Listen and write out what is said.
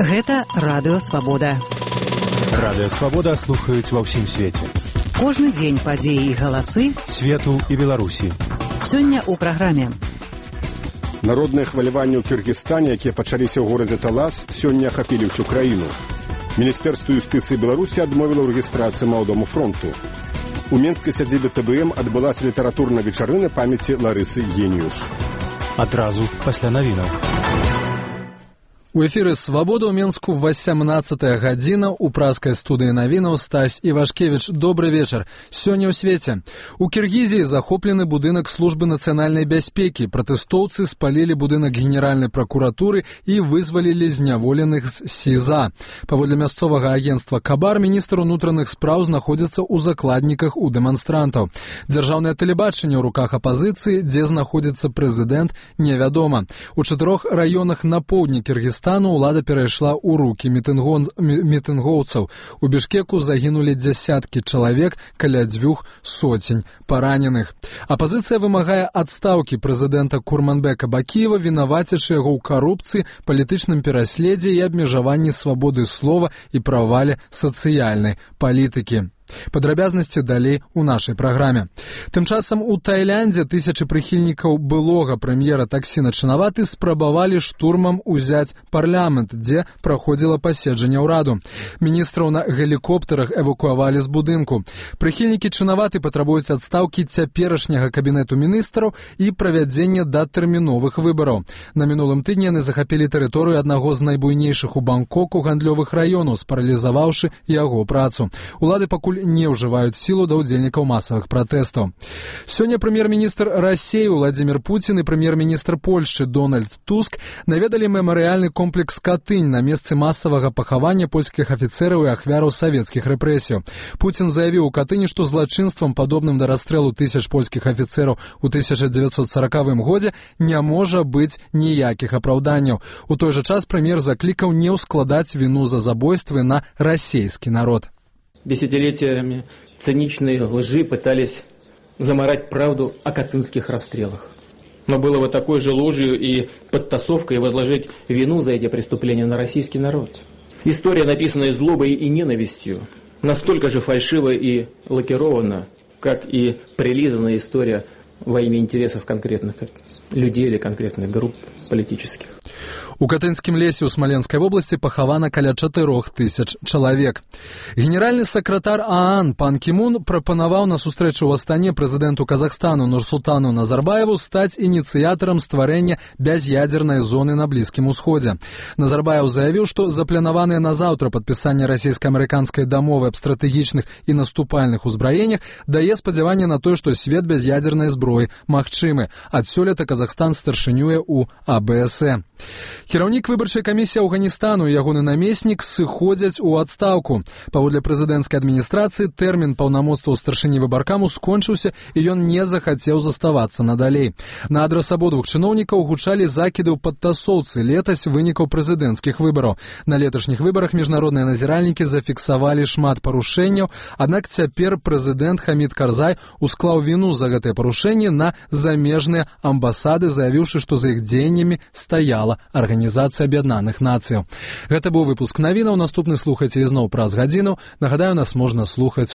Гэта Радыё Свабода. Радыё Свабода слухаюць ва ўсім свеце. Кожны дзень падзеі і галасы свету і Беларусі. Сёння ў праграме. Народныя хваляванні ў Кыргызстане, якія пачаліся ў горадзе Талас, сёння ахапілі ўсю краіну. Міністэрства юстыцыі Беларусі адмовіла ў рэгістрацыі Маладому фронту. У менскай сядзібе ТБМ адбылася літаратурная вечарына памяці Ларысы Геніюш. Адразу пасля навінаў. У эфіры «Свабода» ў Менску 18-я гадзіна. У праскай студыі навінаў Стась Івашкевіч. Добры вечар. Сёння ў свеце. У Кіргізіі захоплены будынак службы нацыянальнай бяспекі. Пратэстоўцы спалілі будынак генеральнай пракуратуры і вызвалілі зняволеных з СІЗА. Паводле мясцовага агенцтва «Кабар», міністр унутраных спраў знаходзіцца ў закладніках у дэманстрантаў. Дзяржаўнае тэлебачанне ў руках апазіцыі, дзе знаходзіцца прэзідэнт, невядома. У 4 раёнах на поўдні Кіргізстану ўлада перайшла ў рукі мітынгоўцаў. У Бішкеку загінулі дзясяткі чалавек, каля 200 параненых. Апазіцыя вымагае адстаўкі прэзідэнта Курманбека Бакіева, вінавацячы яго ў карупцыі, палітычным пераследзе і абмежаванні свабоды слова і правале сацыяльнай палітыкі. Падрабязнасці далей у нашай праграме. Тым часам у Тайландзе тысячы прыхільнікаў былога прэм'ера Таксіна Чынаваты спрабавалі штурмам узяць парламент, дзе праходзіла паседжанне ўраду. Міністраў на гелікоптарах эвакуавалі з будынку. Прыхільнікі Чынаваты патрабуюць адстаўкі цяперашняга кабінету міністраў і правядзення датэрміновых выбараў. На мінулым тыдні яны захапілі тэрыторыю аднаго з найбуйнейшых у Бангкоку гандлёвых раёнаў, спаралізаваўшы яго працу. Улады пакуль не ўжываюць сілу да ўдзельнікаў масавых пратэстаў. Сёння прэм'ер-міністр Расіі Владзімір Пуцін і прэм'ер-міністр Польшчы Дональд Туск наведалі мемарыяльны комплекс Катынь на месцы масавага пахавання польскіх афіцэраў і ахвяраў савецкіх рэпрэсіяў. Пуцін заявіў у Катыні, што злачынствам, падобным да расстрэлу тысяч польскіх афіцэраў у 1940 годзе, не можа быць ніякіх апраўданняў. У той жа час прэм'ер заклікаў не ўскладаць віну за забойствы на расійскі народ. Десятилетиями циничные лжи пытались замарать правду о катынских расстрелах. Но было бы такой же ложью и подтасовкой возложить вину за эти преступления на российский народ. История, написанная злобой и ненавистью, настолько же фальшива и лакирована, как и прилизанная история во имя интересов конкретных людей или конкретных групп политических. У Катынскім лесе ў Смаленскай вобласці пахавана каля 4000 чалавек. Генеральны сакратар ААН пан Кімун прапанаваў на сустрэчу ў Астане прэзідэнту Казахстану Нурсултану Назарбаеву стаць ініцыятарам стварэння бяз'ядзернай зоны на Блізкім Усходзе. Назарбаев заявіў, што запланаванае на заўтра падпісанне расійска-амерыканскай дамовы аб стратэгічных і наступальных узбраеннях дае спадзяванне на тое, што свет без ядзернай зброі магчымы. Ад сёлета Казахстан старшынюе ў АБС. Кіраўнік выбарчай камісіі Афганістану і ягоны намеснік сыходзяць у адстаўку. Паводле прэзідэнцкай адміністрацыі тэрмін паўнамоцтваў старшыні выбаркаму скончыўся і ён не захацеў заставацца надалей. На адрас абодвух чыноўнікаў гучалі закіды ў падтасоўцы летась вынікаў прэзідэнцкіх выбараў. На леташніх выбарах міжнародныя назіральнікі зафіксавалі шмат парушэнняў, аднак цяпер прэзідэнт Хамід Карзай усклаў віну за гэтыя парушэнні на замежныя амбасады, заявіўшы, што за іх дзеяннямі стаяла Арганізацыя Аб'яднаных Нацыяў. Гэта быў выпуск навінаў. Наступны слухайце ізноў праз гадзіну. Нагадаю, нас можна слухаць